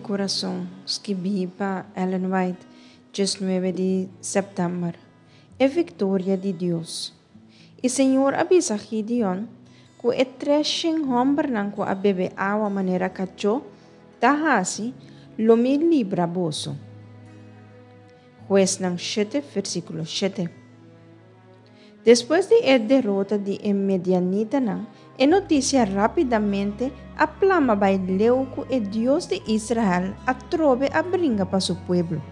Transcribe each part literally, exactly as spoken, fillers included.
Kurason, skibí pa Ellen White, diesnuebe di sèptèmber. E viktoria di Dios. I Señor a bisa Gideon, ku e treshen hòmbernan ku a bebe awa manera kachó ta hasi, lo mi libra boso. Huesnan shete, versíkulo shete. Despues di e derota di e medianitanan, e notisia rápidamente a plama bai leu ku e Dios di Israel atrobe a bringa pa su pueblo.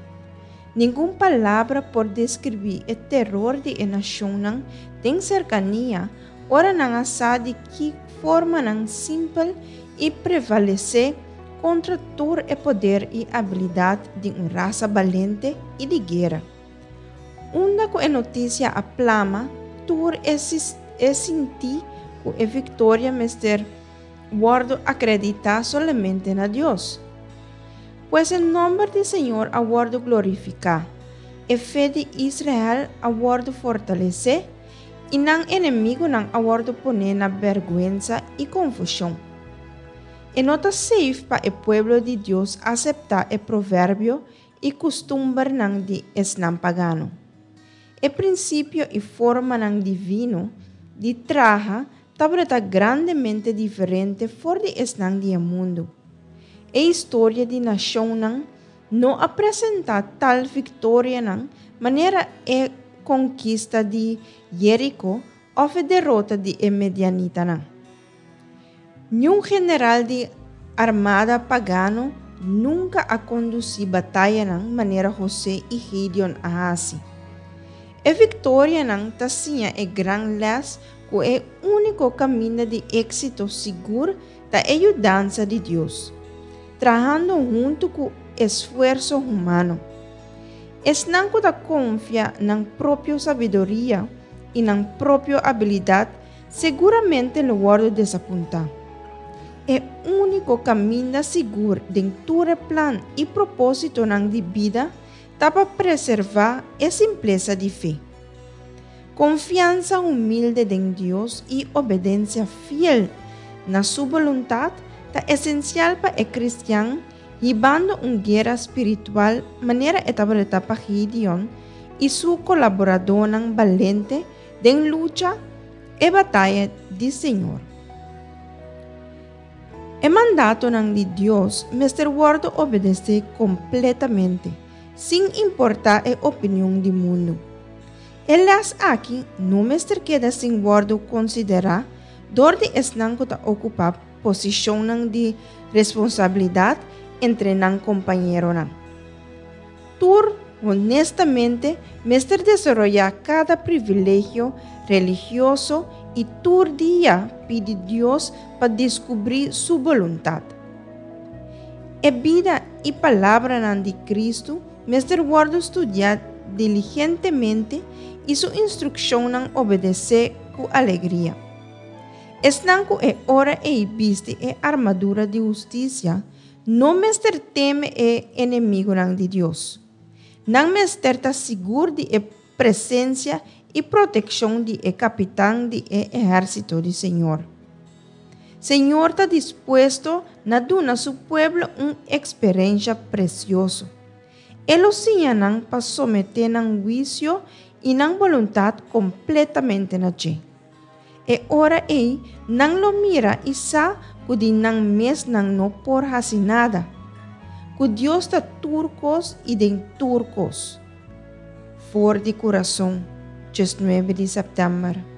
Ningun palabra por deskribí e teror di e nashonnan den serkania ora nan a sa di ki formanan simpel i prevalesé kontra tur e poder i abilidat di un rasa balente i di guera. Unda ku e notisia a plama, tur e e sinti ku e viktoria mester wòrdu akreditá solamente na Dios. Pues e nòmber di Señor a wòrdu glorifiká, e fe di Israel a wòrdu fortalesé i nan enemigunan a wòrdu poné na bèrgwensa i konfushon. E no ta safe pa e pueblo di Dios aseptá e proverbio i kustumbernan di esnan pagano. E prinsipio i formanan divino di traha tabata grandemente diferente for di esnan di e mundu. E historia di nashonnan no a presentá tal viktorianan manera e konkista di Jeriko òf e derota di e medianitanan. Niun general di armada pagano nunka a kondusí batayanan manera José i Gideon a hasi. E viktorianan ta siña e gran lès ku e úniko kaminda di éksito sigur ta e yudansa di Dios, trahando huntu ku esfuerso humano. Esnan ku ta konfia nan propio sabiduria i nan propio abilidat seguramente lo wòrdu desapuntá. E úniko kaminda sigur den tur e plan i propósitonan di bida ta pa preservá e simplesa di fe. Konfiansa humilde den Dios i obedensia fiel na su boluntat ta esensial pa e kristian hibando un guera spiritual manera e tabata pa Gideon i su kolaboradónan balente den lucha e bataya di Señor. E mandatonan di Dios mester wòrdu obedesé kompletamente, sin importá e opinion di mundu. E lès aki no mester keda sin wòrdu konsiderá dor di esnan ku ta okupá posishonnan di responsabilidat entre nan kompañeronan. Tur honestamente mester desaroyá kada privilegio religioso i tur dia pidi Dios pa deskubrí su boluntat. E bida i palabranan di Kristu mester wòrdu studiá diligentemente i su instrukshonnan obedesé ku alegria. Esnan ku e ora ei bisti e armadura di hustisia no mester teme e enemigunan di Dios. Nan mester ta sigur di e presensia i protekshon di e kapitan di e ehérsito di Señor. Señor ta dispuesto na duna su pueblo un eksperensia presioso. E lo siña nan pa someté nan huisio i nan boluntat kompletamente na dje. E ora ei nan lo mira i sa ku di nan mes nan no por hasi nada, ku Dios ta tur kos i den tur kos. For di Kurason, diesnuebe di sèptèmber.